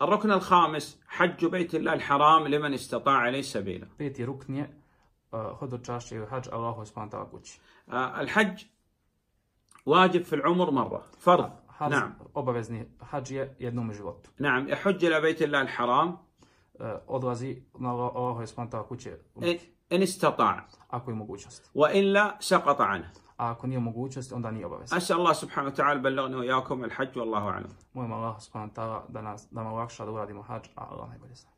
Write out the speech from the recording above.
الركن الخامس حج بيت الله الحرام لمن استطاع إليه سبيلا. Peti rukn je hodočašće ili hadž Allahu subhanahu wa ta'ala kući. الحج واجب في العمر مرة فرض. نعم. Obavezni hadž je jednom u životu. نعم يحج إلى بيت الله الحرام. Odlazi na Allahu subhanahu wa ta'ala kući. إن استطاع. Ako je mogućnost. وإلا سقط عنه. A ako nije mogućnost, onda nije obavezno. أسأل الله سبحانه وتعالى بلغنا وإياكم الحج والله أعلم. Molim Allah subhanahu wa ta'ala da nam olakša da uradimo hadž, a Allah najbolje zna.